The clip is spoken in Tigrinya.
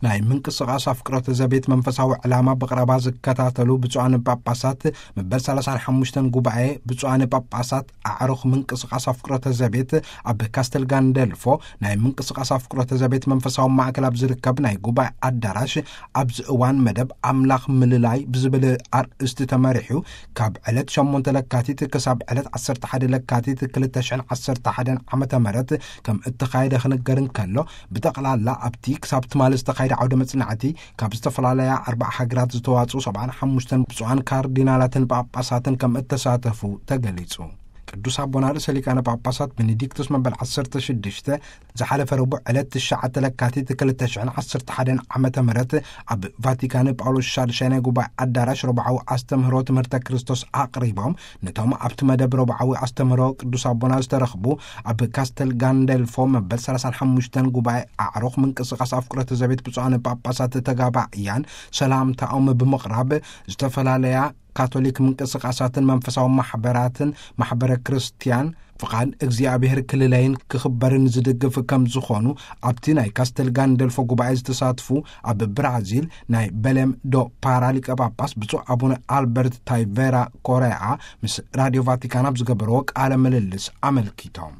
ናይ ምንቅስቓስ ኣፍቅሮተ ዘቤት መንፈሳዊ ዕላማ ብቕረባ ዝከታተሉ ብፁዓን ጳጳሳት፣ መበል ሰላሳን ሓሙሽተን ጉባኤ ብፁዓን ጳጳሳት ኣዕሩኽ ምንቅስቓስ ኣፍቅሮተ ዘቤት፣ ኣብ ካስተል ጋንደልፎ ናይ ምንቅስቓስ ኣፍቅሮተ ዘቤት መንፈሳዊ ማእከል ኣብ ዝርከብ ናይ ጉባኤ ኣዳራሽ፣ ኣብዚ እዋን መደብ ኣምላኽ ምልላይ ብዝብል ኣርእስቲ ተመሪሑ፣ ካብ ዕለት ሸሞንተ ለካቲት ክሳብ ዕለት ዓሰርተ ሓደ ለካቲት ክልተ ሽሕን ዓሰርተ ሓደን ዓመተ ምህረት ከም እተኻየደ ክንገር እንከሎ፣ ብጠቕላላ ኣብቲ ክሳብ ትማሊ ዝተኻየደ ዓውደ መጽናዕቲ፣ ካብ ዝተፈላለያ ኣርባዓ ሃገራት ዝተዋጽኡ ሰብዓን ሓሙሽተን ብፁዓን ካርዲናላትን ጳጳሳትን ከም እተሳተፉ ተገሊጹ። ቅዱስ ኣቦና ርእሰ ሊቃነ ጳጳሳት ቤኔዲክቱስ መበል ዓሰርተ ሽዱሽተ፣ ዝሓለፈ ረቡዕ ዕለት ትሽዓተ ለካቲት ክልተ ሽሕን ዓሰርተ ሓደን ዓመተ ምህረት ኣብ ቫቲካን ጳውሎስ ሻድሻይ ናይ ጉባኤ ኣዳራሽ ረቡዓዊ ኣስተምህሮ ትምህርተ ክርስቶስ ኣቕሪቦም፣ ነቶም ኣብቲ መደብ ረቡዓዊ ኣስተምህሮ ቅዱስ ኣቦና ዝተረኽቡ፣ ኣብ ካስተል ጋንደልፎ መበል ሰላሳን ሓሙሽተን ጉባኤ ኣዕሩኽ ምንቅስቓስ ኣፍቅሮተ ዘቤት ብፁዓን ጳጳሳት ተጋባእያን ሰላምታኦም ብምቕራብ፣ ዝተፈላለያ ካቶሊክ ምንቅስቓሳትን መንፈሳዊ ማሕበራትን ማሕበረ ክርስትያን ፍቓድ እግዚኣብሔር ክልለይን ክኽበርን ዝድግፍ ከም ዝኾኑ፣ ኣብቲ ናይ ካስተል ጋንደልፎ ጉባኤ ዝተሳትፉ ኣብ ብራዚል ናይ በሌም ዶ ፓራ ሊቀ ጳጳስ ብፁዕ ኣቡነ ኣልበርት ታይቬራ ኮሬኣ ምስ ራዲዮ ቫቲካን ኣብ ዝገበርዎ ቃለ ምልልስ ኣመልኪቶም።